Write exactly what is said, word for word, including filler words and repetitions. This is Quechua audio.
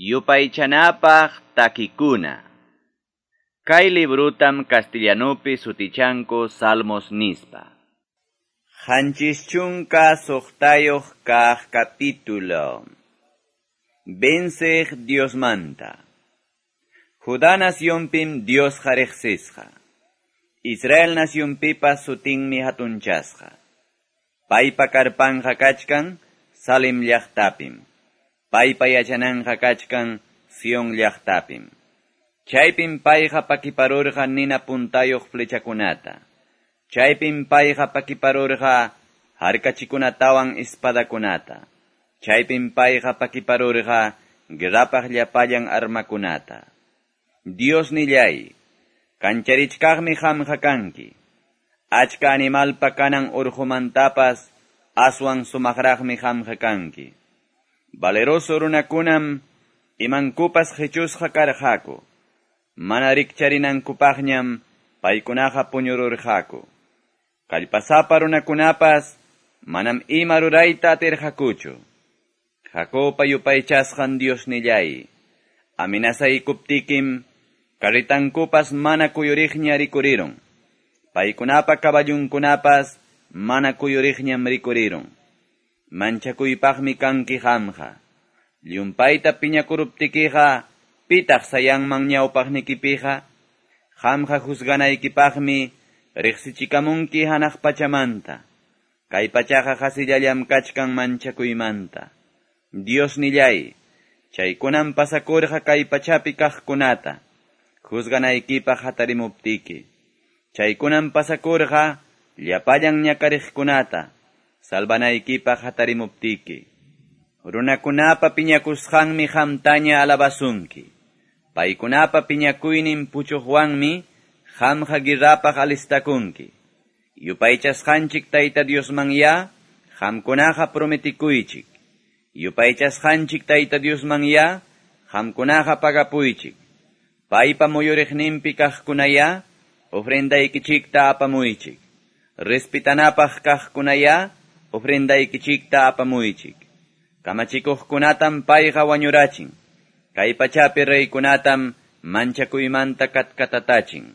Yupaychanapaq takikuna. Kay librutam castellanupi sutichanku Salmos nispa. Qanchis chunka suqtayuq kaq capítulo. Venceq Diosmanta. Judá nacionpim Diosqa riqsisqa. Israel nacionpipas sutinmi hatunchasqa. Paypa karpanqa kachkan Salem llaqtapim. Paypa yachananqa kachkan Sion llaqtapim. Chaypim payqa pakiparurqa nina puntayuq flechakunata. Chaypim payqa pakiparurqa harkachikunatawan espadakunata. Chaypim payqa pakiparurqa guerrapaq llapallan armakunata. Dios nillay, kancharichkaqmi qamqa kanki. Achka animalpa kanan urqumantapas aswan sumaqraqmi qamqa kanki. Valeroso runakunam imankupas qichusqa karqaku. Mana rikcharinankupaqñam paykunaqa puñururqaku. Kallpasapa runakunapas manam ima rurayta atirqakuchu. Jacobpa yupaychasqan Dios nillay, amenazaykuptikim carritankupas mana kuyuriqña rikurirun. Paykunapa kaballunkunapas mana kuyuriqñam rikurirun. Manchakuypaqmi kanki qamqa. Llumpayta piñakuruptikiqa pitaq sayanman ñawpaqnikipiqa. Qamqa juzganaykipaqmi riqsichikamunki hanaq pachamanta. Kay pachaqa qasillallam kachkan manchakuymanta. Dios nillay, chaykunam pasakurqa kay pachapi kaqkunata, juzganaykipaq hatarimuptiki. Chaykunam pasakurqa llapallan ñakariqkunata, salvanaykipaq hatarimuptiki. Runakunapa piñakusqanmi qamtaña alabasunki. Paykunapa piñakuynin puchuqwanmi qamqa guerrapaq alistakunki. Yupaychasqanchik Tayta Diosmanya, qamkunaqa prometikuychik. Yupaychasqanchik Tayta Diosmanya, qamkunaqa pagapuychik. Paypa muyuriqninpi kaqkunaya, ofrendaykichikta apamuychik. Respetanapaq kaqkunaya, ofrendaykichikta apamuychik. Kamachikuqkunatam payqa wañurachin. Kay pachapi reykunatam manchakuymanta katkatatachin.